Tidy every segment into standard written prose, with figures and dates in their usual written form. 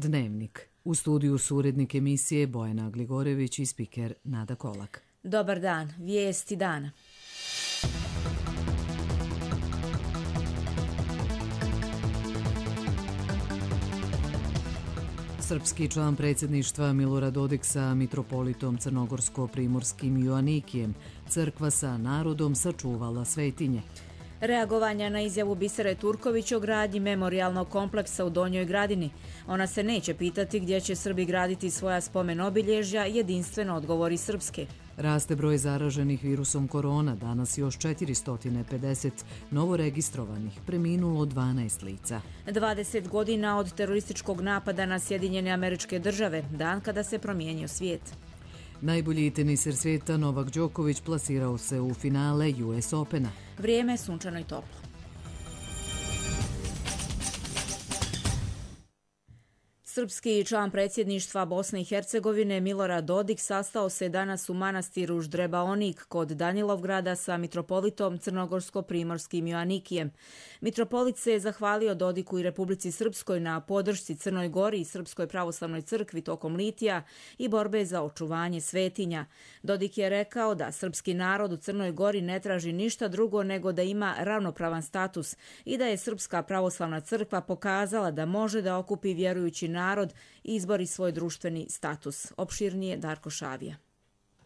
Dnevnik. U studiju su urednik emisije Bojana Gligorević i spiker Nada Kolak. Dobar dan, vijesti dana. Srpski član predsjedništva Milorad Dodik sa mitropolitom crnogorsko-primorskim Joanikijem, crkva sa narodom sačuvala svetinje. Reagovanja na izjavu Bisere Turković o gradnji memorijalnog kompleksa u Donjoj Gradini. Ona se neće pitati gdje će Srbi graditi svoja spomen obilježja, jedinstveno odgovori Srpske. Raste broj zaraženih virusom korona, danas još 450 novoregistrovanih, preminulo 12 lica. 20 godina od terorističkog napada na Sjedinjene Američke Države, dan kada se promijenio svijet. Najbolji teniser svijeta Novak Đoković plasirao se u finale US Opena. Vrijeme je sunčano i toplo. Srpski član predsjedništva Bosne i Hercegovine Milorad Dodik sastao se danas u manastiru Ždrebaonik kod Danilovgrada sa mitropolitom crnogorsko-primorskim Joanikijem. Mitropolit se je zahvalio Dodiku i Republici Srpskoj na podršci Crnoj Gori i Srpskoj pravoslavnoj crkvi tokom litija i borbe za očuvanje svetinja. Dodik je rekao da srpski narod u Crnoj Gori ne traži ništa drugo nego da ima ravnopravan status i da je Srpska pravoslavna crkva pokazala da može da okupi vjerujući narod i izbori svoj društveni status. Opširnije Darko Šavija.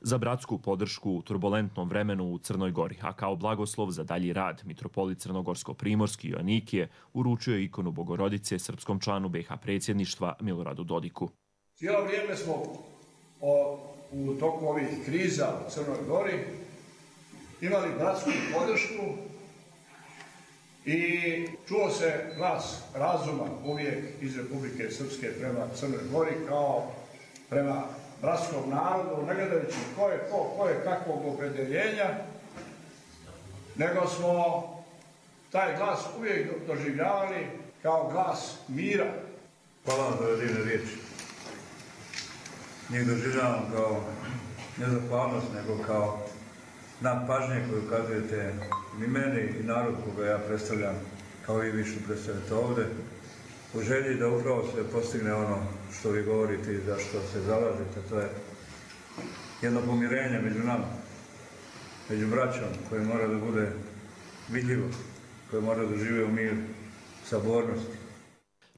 Za bratsku podršku u turbulentnom vremenu u Crnoj Gori, a kao blagoslov za dalji rad, mitropolit crnogorsko-primorski Joanikije uručio ikonu Bogorodice srpskom članu BiH predsjedništva Miloradu Dodiku. Cijelo vrijeme smo u toku ovih kriza u Crnoj Gori imali bratsku podršku i čuo se glas razuma uvijek iz Republike Srpske prema Crnoj Gori kao prema bratskom narodu, ne gledajući ko je kakvog opredeljenja, nego smo taj glas uvijek doživljavali kao glas mira. Hvala vam za divne riječi. Njih doživljavam kao ne zahvalnost, nego kao znak pažnje koju ukazujete i meni i narod koga ja predstavljam, kao i vi što predstavljate ovdje, u želji da upravo se postigne ono što vi govorite i za što se zalažete. To je jedno pomirenje među nama, među braćom, koje mora da bude vidljivo, koje mora da žive u miru, sabornosti.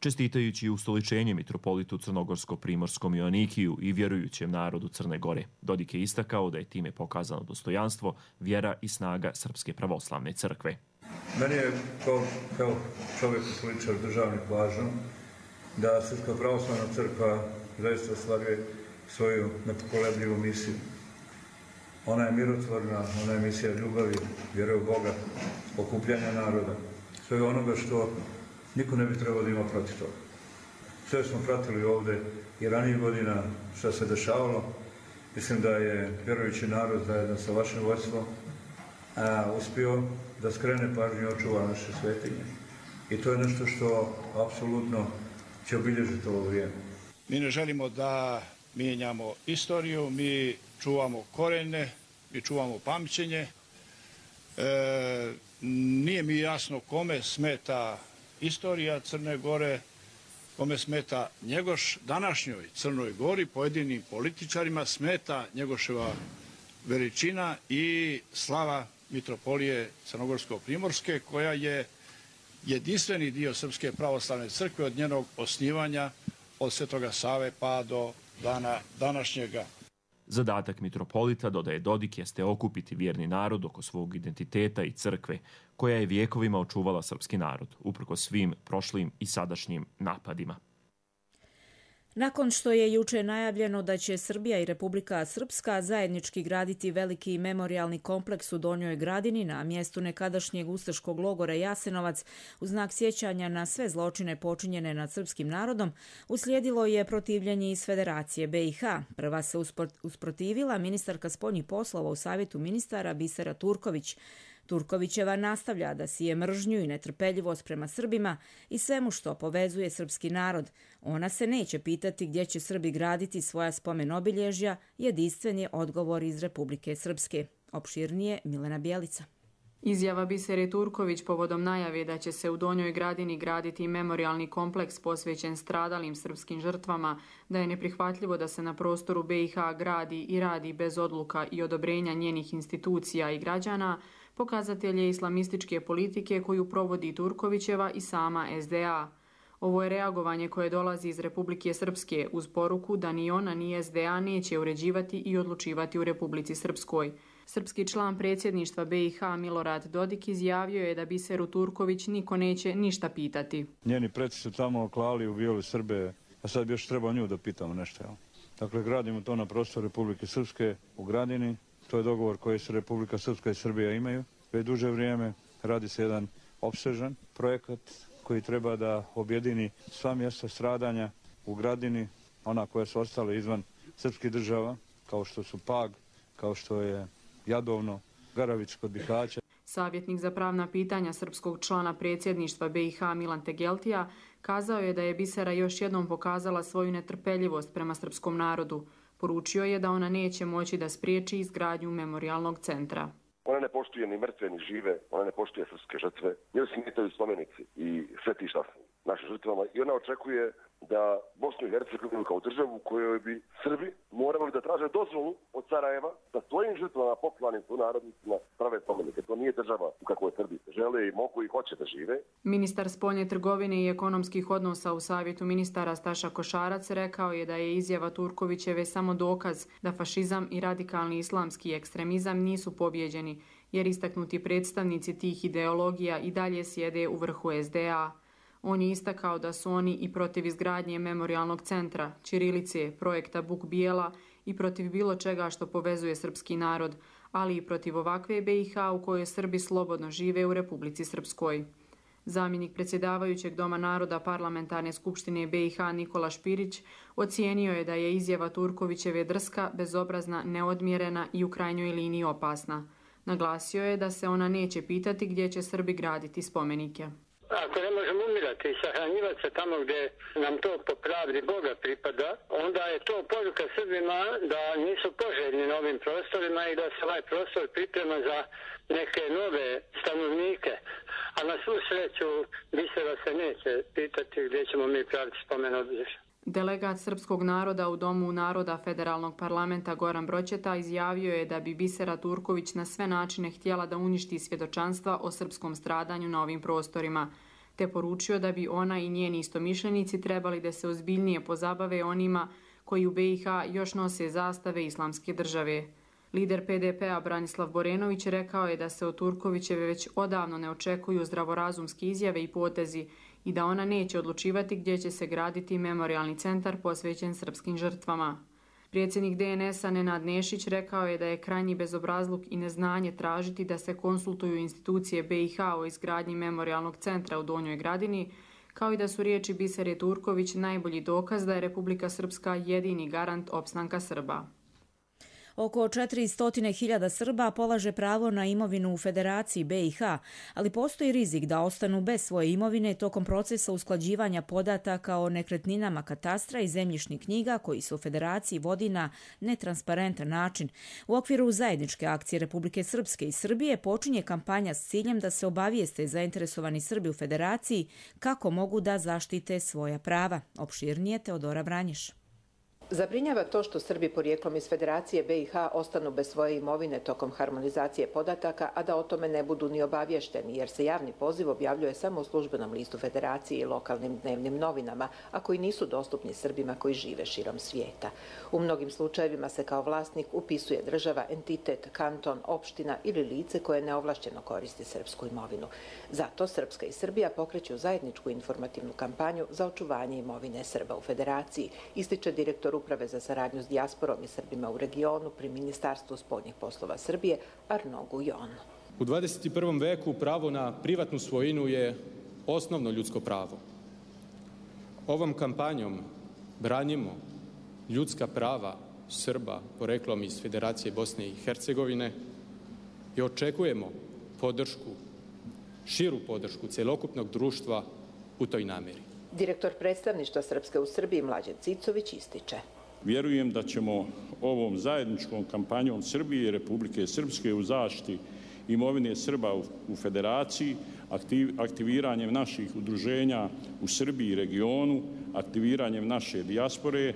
Čestitajući ustoličenje mitropolitu crnogorsko-primorskom Joanikiju i vjerujućem narodu Crne Gore, Dodik je istakao da je time pokazano dostojanstvo, vjera i snaga Srpske pravoslavne crkve. Meni je kao čovjek i političar državnik važno da Srpska pravoslavna crkva zaista ostvaruje svoju nepokolebljivu misiju. Ona je mirotvorna, ona je misija ljubavi, vjere u Boga, okupljanja naroda, svega onoga što niko ne bi trebao da ima protiv toga. Sve smo pratili ovdje i ranijih godina što se dešavalo. Mislim da je vjerujući narod zajedno sa vašim vodstvom uspio da skrene pažnju i očuva naše svetinje. I to je nešto što apsolutno će obilježiti ovo vrijeme. Mi ne želimo da mijenjamo istoriju, mi čuvamo korenje, mi čuvamo pamćenje. Nije mi jasno kome smeta istorija Crne Gore, kome smeta Njegoš. Današnjoj Crnoj Gori, pojedinim političarima, smeta Njegoševa veličina i slava mitropolije Crnogorsko-primorske, koja je jedinstveni dio Srpske pravoslavne crkve od njenog osnivanja, od Svetoga Save pa do dana današnjega. Zadatak mitropolita, dodaje Dodik, jeste okupiti vjerni narod oko svog identiteta i crkve, koja je vijekovima očuvala srpski narod, uprkos svim prošlim i sadašnjim napadima. Nakon što je juče najavljeno da će Srbija i Republika Srpska zajednički graditi veliki memorijalni kompleks u Donjoj Gradini na mjestu nekadašnjeg ustaškog logora Jasenovac u znak sjećanja na sve zločine počinjene nad srpskim narodom, uslijedilo je protivljenje iz Federacije BiH. Prva se usprotivila ministarka spoljnih poslova u Savjetu ministara Bisera Turković. Turkovićeva nastavlja da sije mržnju i netrpeljivost prema Srbima i svemu što povezuje srpski narod. Ona se neće pitati gdje će Srbi graditi svoja spomen obilježja, jedinstven je odgovor iz Republike Srpske. Opširnije Milena Bjelica. Izjava Bisere Turković povodom najave da će se u Donjoj Gradini graditi memorijalni kompleks posvećen stradalim srpskim žrtvama, da je neprihvatljivo da se na prostoru BiH gradi i radi bez odluka i odobrenja njenih institucija i građana, pokazatelj je islamističke politike koju provodi Turkovićeva i sama SDA. Ovo je reagovanje koje dolazi iz Republike Srpske uz poruku da ni ona ni SDA neće uređivati i odlučivati u Republici Srpskoj. Srpski član predsjedništva BiH Milorad Dodik izjavio je da Biseru Turković niko neće ništa pitati. Njeni preci su tamo klali, ubijali Srbe, a sad bi još trebao nju da pitamo nešto. Dakle, gradimo to na prostoru Republike Srpske u Gradini. To je dogovor koji se Republika Srpska i Srbija imaju. Već duže vrijeme radi se jedan opsežan projekat koji treba da objedini sva mjesta stradanja u Gradini, ona koja su ostale izvan srpskih država, kao što su Pag, kao što je Jadovno, Garavić kod Bihaća. Savjetnik za pravna pitanja srpskog člana predsjedništva BiH Milan Tegeltija kazao je da je Bisera još jednom pokazala svoju netrpeljivost prema srpskom narodu. Poručio je da ona neće moći da spriječi izgradnju memorijalnog centra. Ona ne poštuje ni mrtve ni žive, ona ne poštuje srpske žrtve. Njoj se smetaju spomenici i svetišta našim žrtvama i ona očekuje da Bosnu i Hercegovinu kao državu u kojoj bi Srbi morali da traže dozvolu od Sarajeva da svojim žrtvama, poklanim sunarodnicima, prave spomenike. To nije država u kakvoj Srbi žele i mogu i hoće da žive. Ministar spoljne trgovine i ekonomskih odnosa u Savjetu ministara Staša Košarac rekao je da je izjava Turkovićeve samo dokaz da fašizam i radikalni islamski ekstremizam nisu pobjeđeni, jer istaknuti predstavnici tih ideologija i dalje sjede u vrhu SDA. On je istakao da su oni i protiv izgradnje memorijalnog centra, ćirilice, projekta Buk Bijela i protiv bilo čega što povezuje srpski narod, ali i protiv ovakve BiH u kojoj Srbi slobodno žive u Republici Srpskoj. Zamjenik predsjedavajućeg Doma naroda Parlamentarne skupštine BiH Nikola Špirić ocijenio je da je izjava Turkovićeve drska, bezobrazna, neodmjerena i u krajnjoj liniji opasna. Naglasio je da se ona neće pitati gdje će Srbi graditi spomenike. Ako ne možemo umirati i sahranjivati se tamo gdje nam to po pravdi Boga pripada, onda je to poruka Srbima da nisu poželjni na ovim prostorima i da se ovaj prostor priprema za neke nove stanovnike. A na svu sreću Bisera se neće pitati gdje ćemo mi praviti spomen obilježja. Delegat srpskog naroda u Domu naroda Federalnog parlamenta Goran Broćeta izjavio je da bi Bisera Turković na sve načine htjela da uništi svjedočanstva o srpskom stradanju na ovim prostorima, te poručio da bi ona i njeni istomišljenici trebali da se ozbiljnije pozabave onima koji u BiH još nose zastave islamske države. Lider PDP-a Branislav Borenović rekao je da se od Turkovićeve već odavno ne očekuju zdravorazumske izjave i potezi i da ona neće odlučivati gdje će se graditi memorijalni centar posvećen srpskim žrtvama. Predsjednik DNS-a Nenad Nešić rekao je da je krajnji bezobrazluk i neznanje tražiti da se konsultuju institucije BiH o izgradnji memorijalnog centra u Donjoj Gradini, kao i da su riječi Bisere Turković najbolji dokaz da je Republika Srpska jedini garant opstanka Srba. Oko 400.000 Srba polaže pravo na imovinu u Federaciji BiH, ali postoji rizik da ostanu bez svoje imovine tokom procesa usklađivanja podataka o nekretninama katastra i zemljišnih knjiga koji se u Federaciji vodi na netransparentan način. U okviru zajedničke akcije Republike Srpske i Srbije počinje kampanja s ciljem da se obavijeste zainteresovani Srbi u Federaciji kako mogu da zaštite svoja prava. Opširnije Teodora Vranješ. Zabrinjava to što Srbi porijeklom iz Federacije BiH ostanu bez svoje imovine tokom harmonizacije podataka, a da o tome ne budu ni obavješteni, jer se javni poziv objavljuje samo u službenom listu Federacije i lokalnim dnevnim novinama, a koji nisu dostupni Srbima koji žive širom svijeta. U mnogim slučajevima se kao vlasnik upisuje država, entitet, kanton, opština ili lice koje neovlašćeno koristi srpsku imovinu. Zato Srpska i Srbija pokreću zajedničku informativnu kampanju za očuvanje imovine Srba u Federaciji, ističe direktor Uprave za saradnju s dijasporom i Srbima u regionu pri Ministarstvu spoljnih poslova Srbije Arno Gujon. U 21. veku pravo na privatnu svojinu je osnovno ljudsko pravo. Ovom kampanjom branimo ljudska prava Srba poreklom iz Federacije Bosne i Hercegovine i očekujemo podršku, širu podršku celokupnog društva u toj namjeri. Direktor predstavništva Srpske u Srbiji Mlađan Cicović ističe. Vjerujem da ćemo ovom zajedničkom kampanjom Srbije i Republike Srpske u zaštiti imovine Srba u Federaciji, aktiviranjem naših udruženja u Srbiji i regionu, aktiviranjem naše dijaspore,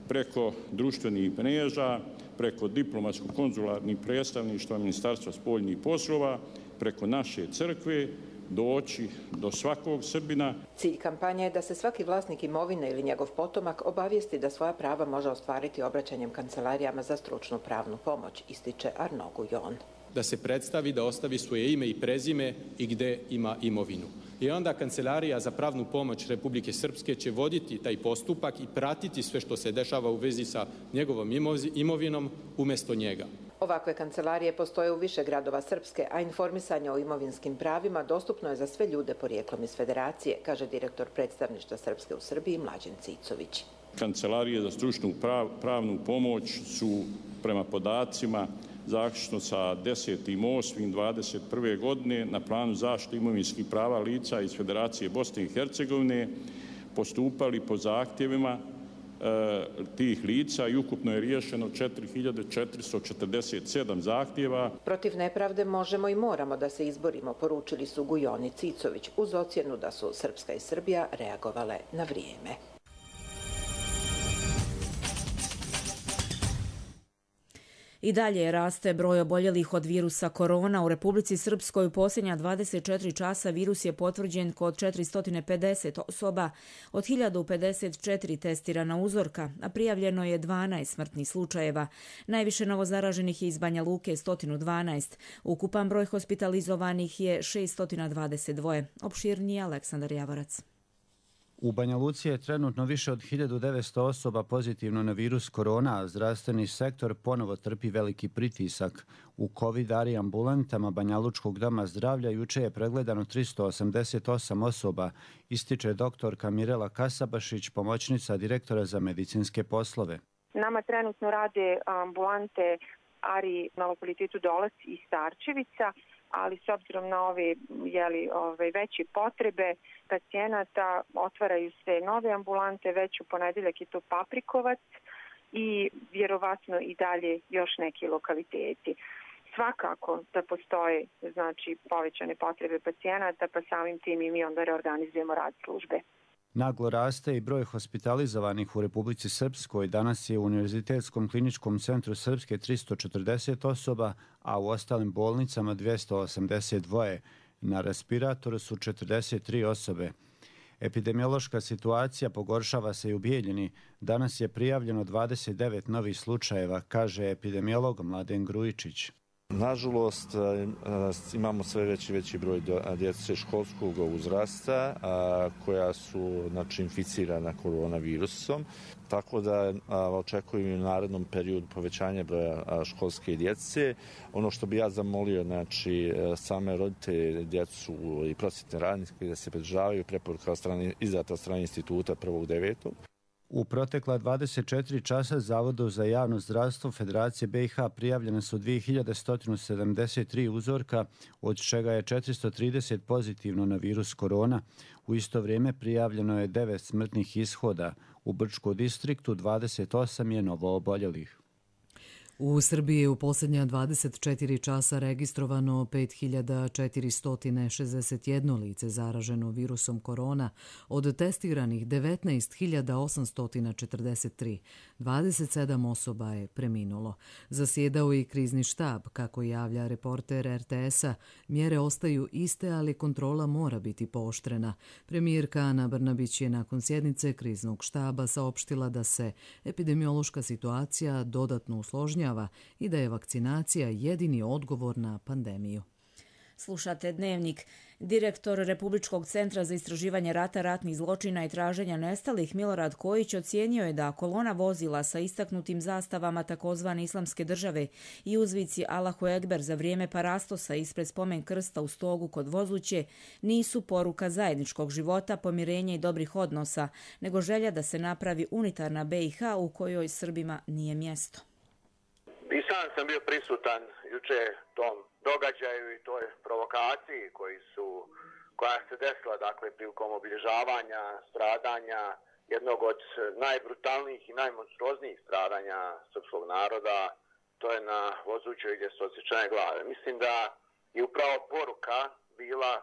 preko društvenih mreža, preko diplomatsko-konzularnih predstavništva Ministarstva spoljnih poslova, preko naše crkve, doći do svakog Srbina. Cilj kampanje je da se svaki vlasnik imovine ili njegov potomak obavijesti da svoja prava može ostvariti obraćanjem kancelarijama za stručnu pravnu pomoć, ističe Arnaud Guyon. Da se predstavi, da ostavi svoje ime i prezime i gde ima imovinu. I onda Kancelarija za pravnu pomoć Republike Srpske će voditi taj postupak i pratiti sve što se dešava u vezi sa njegovom imovinom umjesto njega. Ovakve kancelarije postoje u više gradova Srpske, a informisanje o imovinskim pravima dostupno je za sve ljude porijeklom iz Federacije, kaže direktor predstavništva Srpske u Srbiji Mlađen Cicović. Kancelarije za stručnu pravnu pomoć su prema podacima zaključno sa 10.8.21. godine na planu zaštite imovinskih prava lica iz Federacije Bosne i Hercegovine postupali po zahtjevima tih lica i ukupno je riješeno 4.447 zahtjeva. Protiv nepravde možemo i moramo da se izborimo, poručili su Gujon i Cicović, uz ocjenu da su Srpska i Srbija reagovale na vrijeme. I dalje raste broj oboljelih od virusa korona. U Republici Srpskoj u posljednja 24 časa virus je potvrđen kod 450 osoba, od 1054 testirana uzorka, a prijavljeno je 12 smrtnih slučajeva. Najviše novozaraženih je iz Banja Luke 112. Ukupan broj hospitalizovanih je 622. Opširnije Aleksandar Javorac. U Banja Luci je trenutno više od 1900 osoba pozitivno na virus korona, a zdravstveni sektor ponovo trpi veliki pritisak. U COVID-ari ambulantama Banja Lučkog doma zdravlja juče je pregledano 388 osoba, ističe doktorka Mirela Kasabašić, pomoćnica direktora za medicinske poslove. Nama trenutno rade ambulante Ari na lokalitetu Dolac i Starčevica, ali s obzirom na ove veće potrebe pacijenata otvaraju se nove ambulante, već u ponedeljak je to Paprikovac i vjerovatno i dalje još neki lokaliteti. Svakako da postoje povećane potrebe pacijenata, pa samim tim i mi onda reorganizujemo rad službe. Naglo raste i broj hospitalizovanih u Republici Srpskoj. Danas je u Univerzitetskom kliničkom centru Srpske 340 osoba, a u ostalim bolnicama 282. Na respiratoru su 43 osobe. Epidemiološka situacija pogoršava se i u Bijeljini. Danas je prijavljeno 29 novih slučajeva, kaže epidemiolog Mladen Grujičić. Nažalost, imamo sve veći broj djece školskog uzrasta koja su inficirana koronavirusom, tako da očekujem u narednom periodu povećanje broja školske djece. Ono što bi ja zamolio, same roditelje, djecu i prosvjetne radnike da se pridržavaju preporuka izdata od strane instituta 1.9. U protekla 24 časa Zavodu za javno zdravstvo Federacije BiH prijavljene su 2173 uzorka, od čega je 430 pozitivno na virus korona. U isto vrijeme prijavljeno je 9 smrtnih ishoda. U Brčkom distriktu 28 je novo oboljelih. U Srbiji je u posljednja 24 časa registrovano 5461 lice zaraženo virusom korona, od testiranih 19.843. 27 osoba je preminulo. Zasjedao i krizni štab, kako javlja reporter RTS-a. Mjere ostaju iste, ali kontrola mora biti pooštrena. Premijerka Ana Brnabić je nakon sjednice kriznog štaba saopštila da se epidemiološka situacija dodatno usložnjava i da je vakcinacija jedini odgovor na pandemiju. Slušate Dnevnik. Direktor Republičkog centra za istraživanje rata, ratnih zločina i traženja nestalih Milorad Kojić ocijenio je da kolona vozila sa istaknutim zastavama takozvane Islamske države i uzvici Allahu Ekber za vrijeme parastosa ispred spomen krsta u Stogu kod Vozuće nisu poruka zajedničkog života, pomirenja i dobrih odnosa, nego želja da se napravi unitarna BiH u kojoj Srbima nije mjesto. I sam sam bio prisutan juče tom događaju i toj provokaciji koja se desila prilikom obilježavanja stradanja jednog od najbrutalnijih i najmonstruoznijih stradanja srpskog naroda, to je na Vozućoj gdje su odsječene glave. Mislim da je upravo poruka bila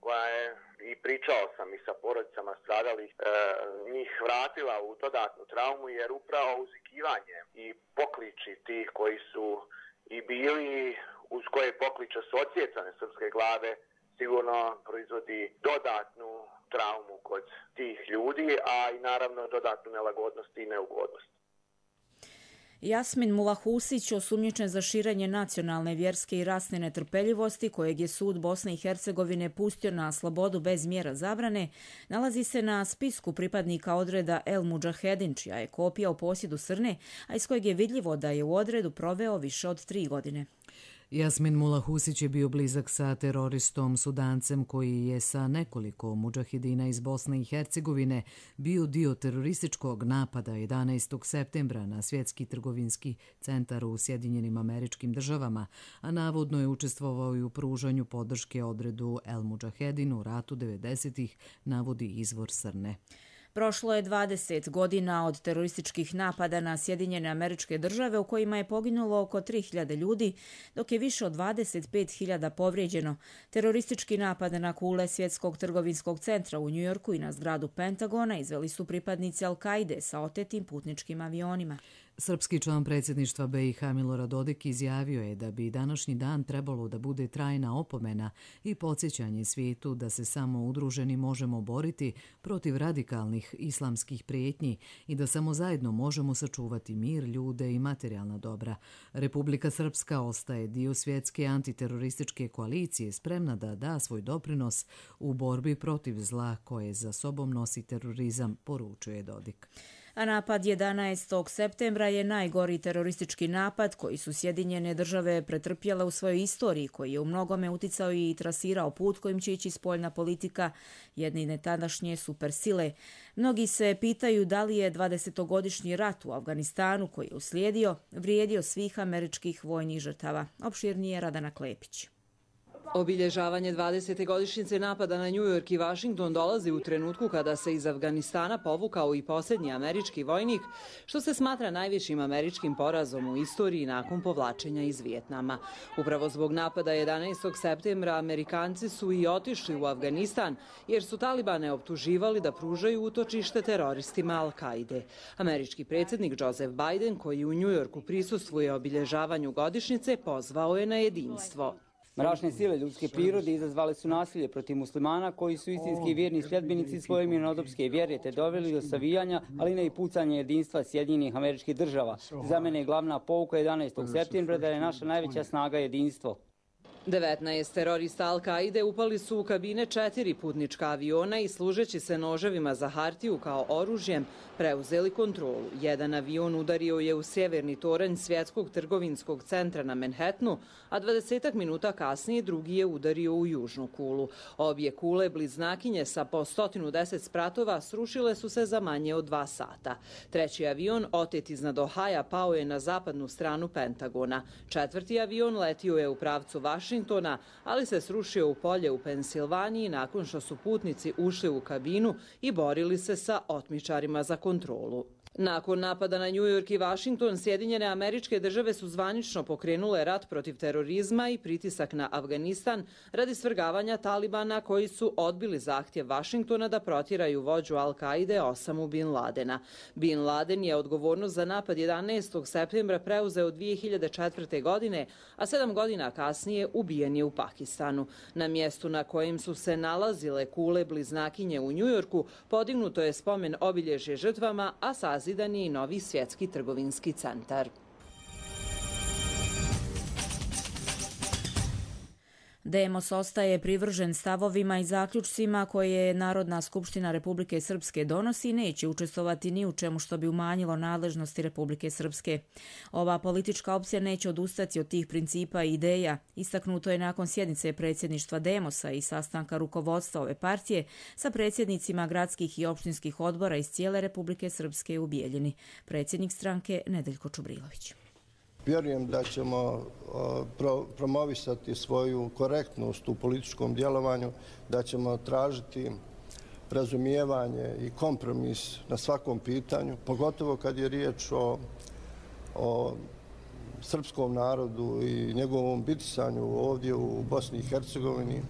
koja je, i pričao sam i sa porodicama stradalih, njih vratila u dodatnu traumu, jer upravo uzvikivanje i pokliči tih koji su i bili, uz koje pokliče su odsjecane srpske glave, sigurno proizvodi dodatnu traumu kod tih ljudi, a i naravno dodatnu nelagodnost i neugodnost. Jasmin Mulahusić, osumnjičen za širenje nacionalne, vjerske i rasne netrpeljivosti, kojeg je sud Bosne i Hercegovine pustio na slobodu bez mjera zabrane, nalazi se na spisku pripadnika odreda El Mudžahedin, čija je kopija u posjedu Srne, a iz kojeg je vidljivo da je u odredu proveo više od 3 godine. Jasmin Mulahusić je bio blizak sa teroristom Sudancem koji je sa nekoliko mudžahidina iz Bosne i Hercegovine bio dio terorističkog napada 11. septembra na svjetski trgovinski centar u Sjedinjenim Američkim Državama, a navodno je učestvovao i u pružanju podrške odredu El Mudžahedin u ratu 90-ih, navodi izvor Srne. Prošlo je 20 godina od terorističkih napada na Sjedinjene Američke Države u kojima je poginulo oko 3.000 ljudi, dok je više od 25.000 povrijeđeno. Teroristički napad na kule Svjetskog trgovinskog centra u Njujorku i na zgradu Pentagona izveli su pripadnici Al-Kaide sa otetim putničkim avionima. Srpski član predsjedništva BiH Milorad Dodik izjavio je da bi današnji dan trebalo da bude trajna opomena i podsjećanje svijetu da se samo udruženi možemo boriti protiv radikalnih islamskih prijetnji i da samo zajedno možemo sačuvati mir, ljude i materijalna dobra. Republika Srpska ostaje dio svjetske antiterorističke koalicije, spremna da da svoj doprinos u borbi protiv zla koje za sobom nosi terorizam, poručuje Dodik. A napad 11. septembra je najgori teroristički napad koji su Sjedinjene Države pretrpjele u svojoj istoriji, koji je u mnogome uticao i trasirao put kojim će ići spoljna politika jedne tadašnje supersile. Mnogi se pitaju da li je 20-godišnji rat u Afganistanu koji je uslijedio vrijedio svih američkih vojnih žrtava. Opširnije Radana Klepić. Obilježavanje 20. godišnjice napada na New York i Washington dolazi u trenutku kada se iz Afganistana povukao i posljednji američki vojnik, što se smatra najvišim američkim porazom u istoriji nakon povlačenja iz Vijetnama. Upravo zbog napada 11. septembra Amerikanci su i otišli u Afganistan jer su Talibane optuživali da pružaju utočište teroristima Al-Kaide. Američki predsjednik Joseph Biden, koji u New Yorku prisustvuje obilježavanju godišnjice, pozvao je na jedinstvo. Mračne sile ljudske prirode izazvale su nasilje protiv muslimana koji su istinski vjerni sljedbenici svoje mirnodopske vjere te doveli do savijanja, ali ne i pucanja jedinstva Sjedinjenih Američkih Država. Za mene je glavna pouka 11. septembra da je naša najveća snaga jedinstvo. 19 terorista Al-Kaide upali su u kabine 4 putnička aviona i služeći se noževima za hartiju kao oružjem preuzeli kontrolu. Jedan avion udario je u sjeverni toranj Svjetskog trgovinskog centra na Manhattanu, a 20 minuta kasnije drugi je udario u južnu kulu. Obje kule bliznakinje sa po 110 spratova srušile su se za manje od 2 sata. Treći avion, otet iznad Ohaja, pao je na zapadnu stranu Pentagona. Četvrti avion letio je u pravcu Washingtona, ali se srušio u polje u Pensilvaniji nakon što su putnici ušli u kabinu i borili se sa otmičarima za kontrolu. Nakon napada na New York i Washington, Sjedinjene Američke Države su zvanično pokrenule rat protiv terorizma i pritisak na Afganistan radi svrgavanja Talibana koji su odbili zahtjev Washingtona da protjeraju vođu Al-Kaide Osamu Bin Ladena. Bin Laden je odgovornost za napad 11. septembra preuzeo 2004. godine, a 7 godina kasnije ubijen je u Pakistanu. Na mjestu na kojem su se nalazile kule bliznakinje u New Yorku podignuto je spomen obilježje žrtvama, a sazidan je i novi svjetski trgovinski centar. Demos ostaje privržen stavovima i zaključcima koje Narodna skupština Republike Srpske donosi i neće učestvovati ni u čemu što bi umanjilo nadležnosti Republike Srpske. Ova politička opcija neće odustati od tih principa i ideja. Istaknuto je nakon sjednice predsjedništva Demosa i sastanka rukovodstva ove partije sa predsjednicima gradskih i opštinskih odbora iz cijele Republike Srpske u Bijeljini. Predsjednik stranke Nedeljko Čubrilović. Vjerujem da ćemo promovisati svoju korektnost u političkom djelovanju, da ćemo tražiti razumijevanje i kompromis na svakom pitanju, pogotovo kad je riječ o srpskom narodu i njegovom bitisanju ovdje u Bosni i Hercegovini.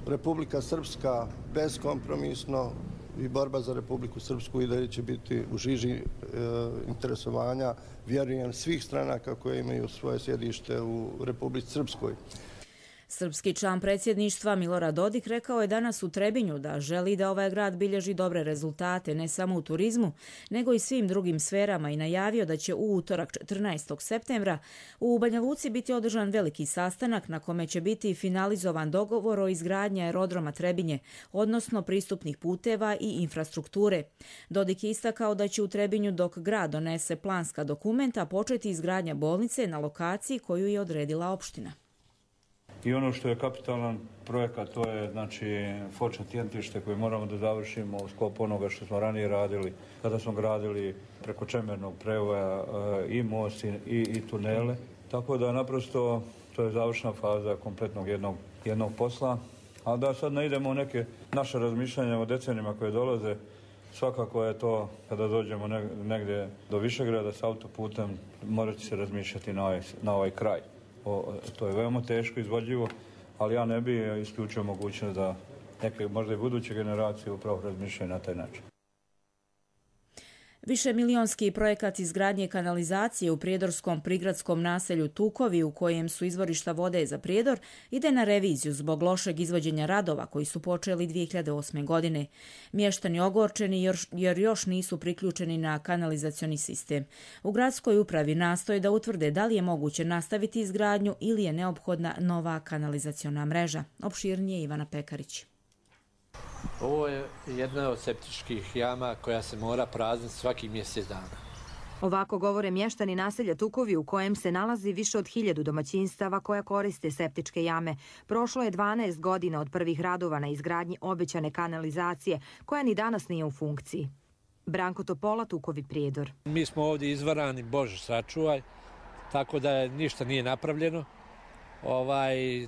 Republika Srpska beskompromisno i borba za Republiku Srpsku i dalje će biti u žiži interesovanja, vjerujem, svih stranaka koje imaju svoje sjedište u Republici Srpskoj. Srpski član predsjedništva Milorad Dodik rekao je danas u Trebinju da želi da ovaj grad bilježi dobre rezultate ne samo u turizmu, nego i svim drugim sferama i najavio da će u utorak 14. septembra u Banja Luci biti održan veliki sastanak na kome će biti finalizovan dogovor o izgradnji aerodroma Trebinje, odnosno pristupnih puteva i infrastrukture. Dodik je istakao da će u Trebinju dok grad donese planska dokumenta početi izgradnja bolnice na lokaciji koju je odredila opština. I ono što je kapitalan projekat, to je znači fočno tjentište koje moramo da završimo u sklopu onoga što smo ranije radili, kada smo gradili preko čemernog prevoja i most i tunele. Tako da naprosto to je završna faza kompletnog jednog posla. A da sad ne idemo u neke naše razmišljanja o decenijama koje dolaze, svakako je to kada dođemo negdje do Višegrada s autoputem, morat će se razmišljati na ovaj kraj. To je veoma teško izvodljivo, ali ja ne bi isključio mogućnost da neke možda i buduće generacije upravo razmišljaju na taj način. Višemilionski projekat izgradnje kanalizacije u prijedorskom prigradskom naselju Tukovi, u kojem su izvorišta vode za Prijedor, ide na reviziju zbog lošeg izvođenja radova koji su počeli 2008. godine. Mještani ogorčeni jer još nisu priključeni na kanalizacioni sistem. U gradskoj upravi nastoje da utvrde da li je moguće nastaviti izgradnju ili je neophodna nova kanalizaciona mreža. Opširnije Ivana Pekarić. Ovo je jedna od septičkih jama koja se mora prazniti svakih mjesec dana. Ovako govore mještani naselja Tukovi u kojem se nalazi više od 1000 domaćinstava koja koriste septičke jame. Prošlo je 12 godina od prvih radova na izgradnji obećane kanalizacije koja ni danas nije u funkciji. Branko Topola, Tukovi, Prijedor. Mi smo ovdje izvarani, Bože sačuvaj, tako da ništa nije napravljeno.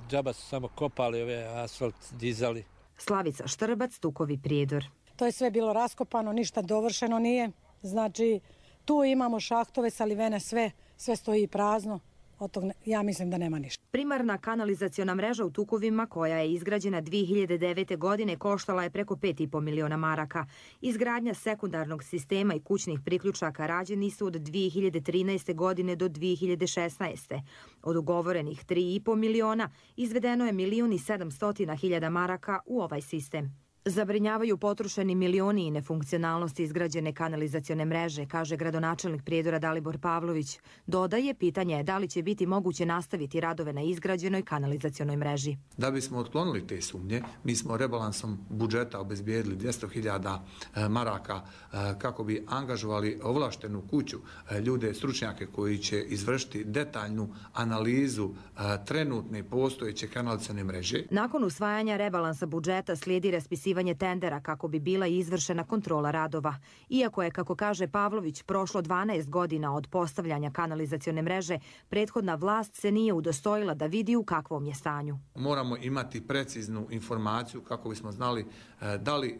Džaba su samo kopali, asfalt dizali. Slavica Štrbac, Tukovi, Prijedor. To je sve bilo raskopano, ništa dovršeno nije. Znači, tu imamo šahtove, salivene, sve stoji prazno. Od tog ja mislim da nema ništa. Primarna kanalizaciona mreža u Tukovima, koja je izgrađena 2009. godine, koštala je preko 5,5 miliona maraka. Izgradnja sekundarnog sistema i kućnih priključaka rađeni su od 2013. godine do 2016. Od ugovorenih 3,5 miliona izvedeno je 1.700.000 maraka u ovaj sistem. Zabrinjavaju potrošeni milioni i nefunkcionalnosti izgrađene kanalizacione mreže, kaže gradonačelnik Prijedora Dalibor Pavlović. Dodaje, pitanje je da li će biti moguće nastaviti radove na izgrađenoj kanalizacionoj mreži. Da bismo otklonili te sumnje, mi smo rebalansom budžeta obezbijedili 200.000 maraka kako bi angažovali ovlaštenu kuću, ljude, stručnjake koji će izvršiti detaljnu analizu trenutne postojeće kanalizacione mreže. Nakon usvajanja rebalansa budžeta slijedi raspisivanje tendera kako bi bila izvršena kontrola radova. Iako je, kako kaže Pavlović, prošlo 12 godina od postavljanja kanalizacione mreže, prethodna vlast se nije udostojila da vidi u kakvom je stanju. Moramo imati preciznu informaciju kako bismo znali da li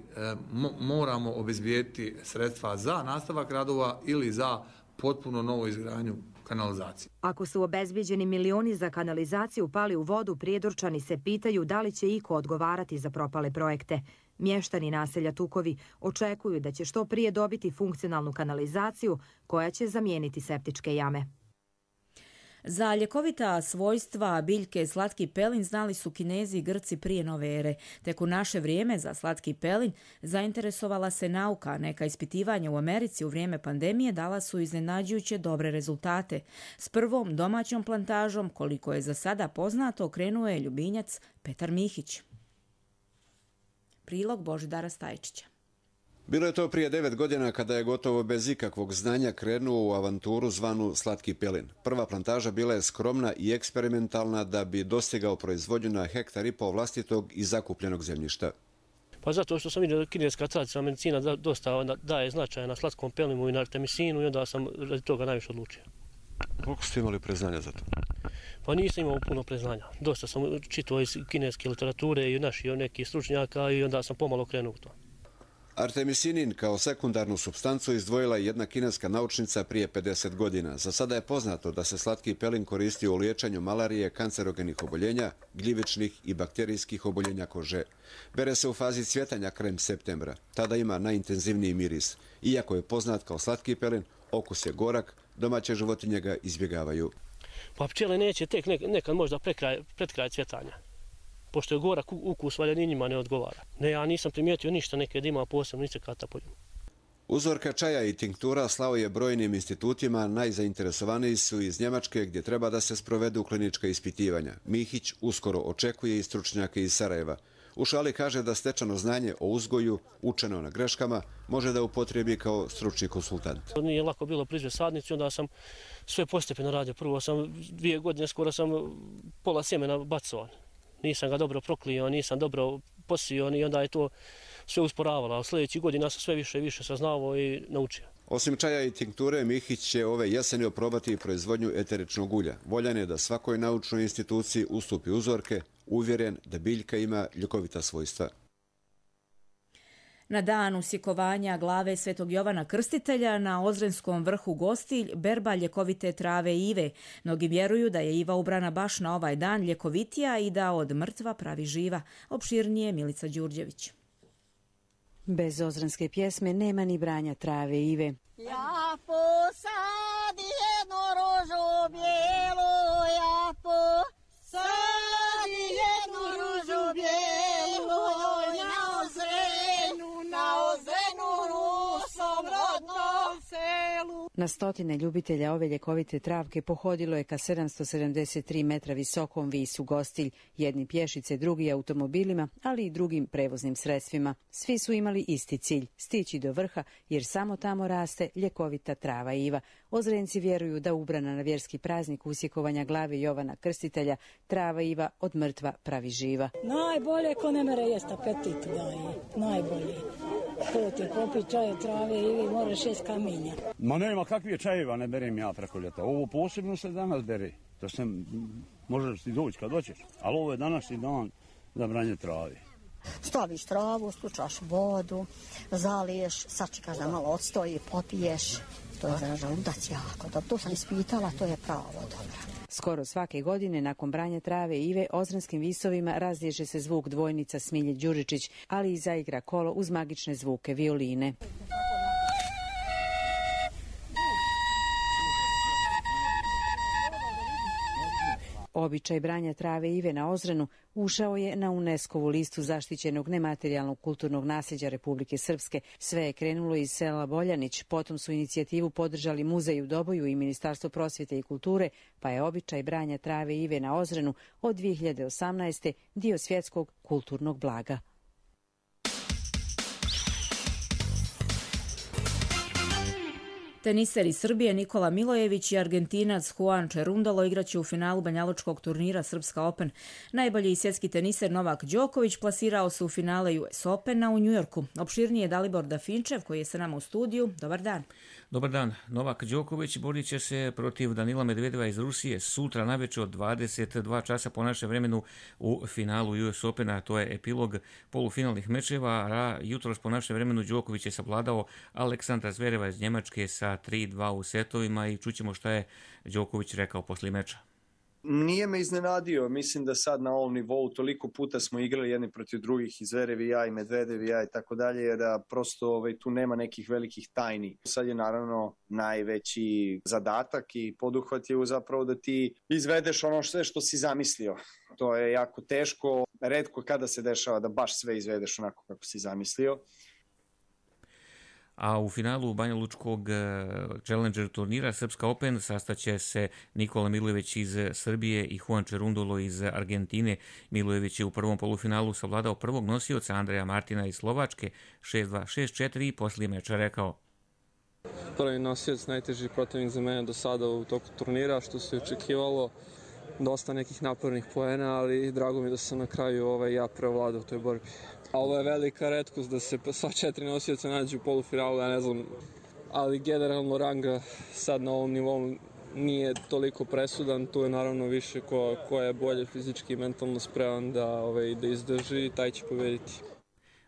moramo obezbijediti sredstva za nastavak radova ili za potpuno novu izgradnju kanalizacije. Ako su obezbijeđeni milioni za kanalizaciju pali u vodu, Prijedorčani se pitaju da li će iko odgovarati za propale projekte. Mještani naselja Tukovi očekuju da će što prije dobiti funkcionalnu kanalizaciju koja će zamijeniti septičke jame. Za ljekovita svojstva biljke slatki pelin znali su Kinezi i Grci prije nove ere. Tek u naše vrijeme za slatki pelin zainteresovala se nauka. Neka ispitivanja u Americi u vrijeme pandemije dala su iznenađujuće dobre rezultate. S prvom domaćom plantažom, koliko je za sada poznato, krenuo je ljubinjac Petar Mihić. Prilog Božidara Stajčića. Bilo je to prije 9 godina kada je gotovo bez ikakvog znanja krenuo u avanturu zvanu Slatki pelin. Prva plantaža bila je skromna i eksperimentalna da bi dostigao proizvodnju na 1,5 hektara vlastitog i zakupljenog zemljišta. Pa zato što sam vidio da kineska tradicionalna medicina dosta daje značaja na slatkom pelinu i na artemisinu i onda sam radi toga najviše odlučio. Koliko ste imali preznanja za to? Pa nisam imao puno preznanja. Dosta sam čitao iz kineske literature i naših nekih stručnjaka i onda sam pomalo krenuo u to. Artemisinin kao sekundarnu supstancu izdvojila je jedna kineska naučnica prije 50 godina. Za sada je poznato da se slatki pelin koristio u liječenju malarije, kancerogenih oboljenja, gljivičnih i bakterijskih oboljenja kože. Bere se u fazi cvjetanja krajem septembra. Tada ima najintenzivniji miris. Iako je poznat kao slatki pelin, okus je gorak, domaće životinje ga izbjegavaju. Pa pčele neće tek nekad možda pred kraj cvjetanja. Pošto je gorak ukus, valjda ni njima ne odgovara. Ne, ja nisam primijetio ništa nekad ima posebno insekata po njemu. Uzorka čaja i tinktura slao je brojnim institutima, najzainteresovaniji su iz Njemačke gdje treba da se sprovedu klinička ispitivanja. Mihić uskoro očekuje i stručnjake iz Sarajeva. U šali kaže da stečeno znanje o uzgoju, učeno na greškama, može da upotrebi kao stručni konsultant. Nije lako bilo proizvesti sadnicu, onda sam sve postepeno radio. Prvo sam 2 godine, skoro sam pola sjemena bacao. Nisam ga dobro proklio, nisam dobro posio i onda je to sve usporavalo. A sljedećih godina sam sve više i više saznavao i naučio. Osim čaja i tinkture, Mihić će ove jeseni oprobati proizvodnju eteričnog ulja. Voljan je da svakoj naučnoj instituciji ustupi uzorke, uvjeren da biljka ima ljekovita svojstva. Na dan usjekovanja glave Svetog Jovana Krstitelja na Ozrenskom vrhu Gostilj berba ljekovite trave ive. Mnogi vjeruju da je iva ubrana baš na ovaj dan ljekovitija i da od mrtva pravi živa. Opširnije Milica Đurđević. Bez ozrenske pjesme nema ni branja trave ive. Ja posadi jednu ružu bijelu, ja posadi jednu ružu bijelu, na Ozrenu rusom rodnom selu. Na stotine ljubitelja ove ljekovite travke pohodilo je ka 773 metra visokom visu Gostilj, jedni pješice, drugi automobilima, ali i drugim prevoznim sredstvima. Svi su imali isti cilj, stići do vrha, jer samo tamo raste ljekovita trava iva. Ozrenci vjeruju da ubrana na vjerski praznik usjekovanja glave Jovana Krstitelja, trava iva od mrtva pravi živa. Najbolje ko ne mere jest apetit daje, najbolje. To ti popi čaj od trave ive, moraš jest kamenja. Ma nema kakvih čajeva ne berem ja preko ljeta. Ovo posebno se danas bere. To se možeš ti doći kad hoćeš, ali ovo je današnji dan za branje trave. Staviš travu, stučaš vodu, zaliješ, sačekaš da malo odstoji, popiješ. To je za želudac jako. To sam ispitala, to je pravo dobro. Skoro svake godine nakon branja trave ive ozrenskim visovima razliježe se zvuk dvojnica Smilje Đuričić, ali i zaigra kolo uz magične zvuke violine. Običaj branja trave ive na Ozrenu ušao je na UNESCO-vu listu zaštićenog nematerijalnog kulturnog nasljeđa Republike Srpske. Sve je krenulo iz sela Boljanić, potom su inicijativu podržali Muzej u Doboju i Ministarstvo prosvjete i kulture, pa je običaj branja trave ive na Ozrenu od 2018. dio svjetskog kulturnog blaga. Teniseri Srbije Nikola Milojević i Argentinac Juan Cerundolo igraće u finalu banjalučkog turnira Srpska Open. Najbolji svjetski teniser Novak Đoković plasirao se u finale US Opena u Njujorku. Opširnije Dalibor Dafinčev koji je sa nama u studiju. Dobar dan. Dobar dan. Novak Đoković borit će se protiv Danila Medvedeva iz Rusije sutra navečer od 22 časa po našem vremenu u finalu US Opena. To je epilog polufinalnih mečeva, a jutros po našem vremenu Đoković je savladao Aleksandra Zvereva iz Njemačke sa 3-2 u setovima i čućemo šta je Đoković rekao poslije meča. Nije me iznenadio, mislim da sad na ovom nivou toliko puta smo igrali jedni protiv drugih, i Zverev i ja i Medvedev i ja i tako dalje, da prosto tu nema nekih velikih tajni. Sad je naravno najveći zadatak i poduhvat je zapravo da ti izvedeš ono sve što si zamislio. To je jako teško, retko kada se dešava da baš sve izvedeš onako kako si zamislio. A u finalu banjalučkog Challenger turnira Srpska Open sastaće se Nikola Milojević iz Srbije i Juan Cerundolo iz Argentine. Milojević je u prvom polufinalu savladao prvog nosioca Andreja Martina iz Slovačke 6-2, 6-4 i poslije meča rekao: Prvi nosioc, najteži protivnik za mene do sada u toku turnira, što se očekivalo. Dosta nekih napornih poena, ali drago mi da sam na kraju ja prevladao u toj borbi. A ovo je velika retkost da se sva 4 nosioca nađu u polufinalu, ja ne znam, ali generalno ranga sad na ovom nivou nije toliko presudan, tu je naravno više ko je bolje fizički i mentalno spreman da izdrži i taj će pobediti.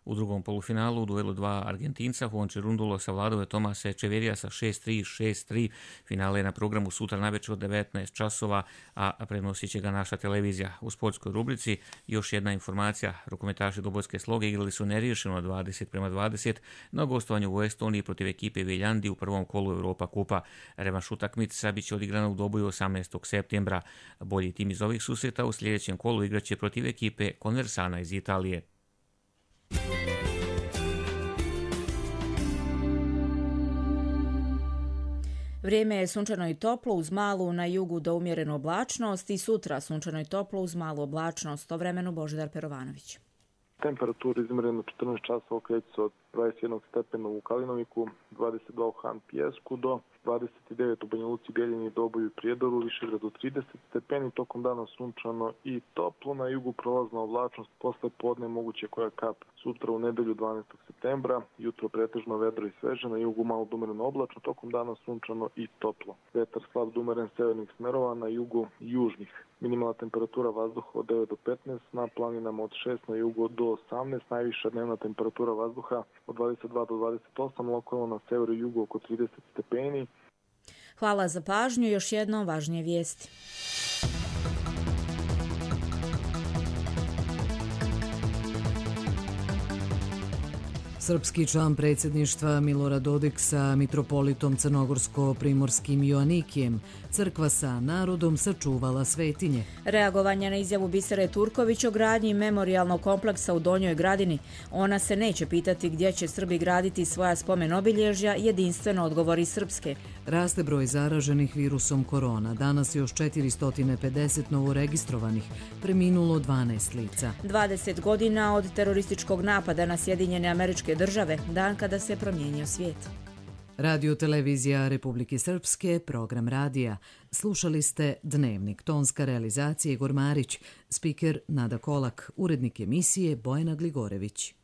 U drugom polufinalu u duelu dva Argentinca Juan Cerúndolo savladao je Tomasa Echeverrija sa 6-3, 6-3. Finale je na programu sutra navečer od 19 časova, a prenosit će ga naša televizija. U sportskoj rubrici još jedna informacija. Rukometaši Dobojske Sloge igrali su neriješeno 20-20 na gostovanju u Estoniji protiv ekipe Viljandi u prvom kolu Europa kupa. Revanš utakmica biće odigrana u Doboju 18. septembra. Bolji tim iz ovih susreta u sljedećem kolu igraće protiv ekipe Conversana iz Italije. Vrijeme je sunčano i toplo uz malu na jugu do umjerenu oblačnost i sutra sunčano i toplo uz malu oblačnost. O vremenu Božidar Perovanović. Temperatura izmjerena 14 časova kreće se od 21 stepena u Kalinoviku, 22 u Han Pijesku do 29 u Banja Luci, Bijeljini, Doboju i Prijedoru, Višegradu 30 stepeni, tokom dana sunčano i toplo, na jugu prolazna oblačnost, posle podne moguće koja kap. Sutra u nedelju 12. septembra, jutro pretežno vedro i sveže, na jugu malo dumereno oblačno, tokom dana sunčano i toplo. Vetar slab dumeren severnih smerova, na jugu južnih. Minimalna temperatura vazduha od 9 do 15, na planinama od 6, na jugu do 18, najviša dnevna temperatura vazduha od 22 do 28, lokalno na severu i jugu oko 30 stepeni. Hvala za pažnju, još jednom važnije vijesti. Srpski član predsjedništva Milorad Dodik sa mitropolitom crnogorsko-primorskim Joanikijem, crkva sa narodom sačuvala svetinje. Reagovanje na izjavu Bisere Turković o gradnji memorijalnog kompleksa u Donjoj Gradini. Ona se neće pitati gdje će Srbi graditi svoja spomen obilježja, jedinstveno odgovori Srpske. Raste broj zaraženih virusom korona. Danas još 450 novoregistrovanih, preminulo 12 lica. 20 godina od terorističkog napada na Sjedinjene Američke Države, dan kada se promijenio svijet. Radio televizija Republike Srpske, program radija. Slušali ste Dnevnik, tonska realizacija Igor Marić, spiker Nada Kolak, urednik emisije Bojana Gligorević.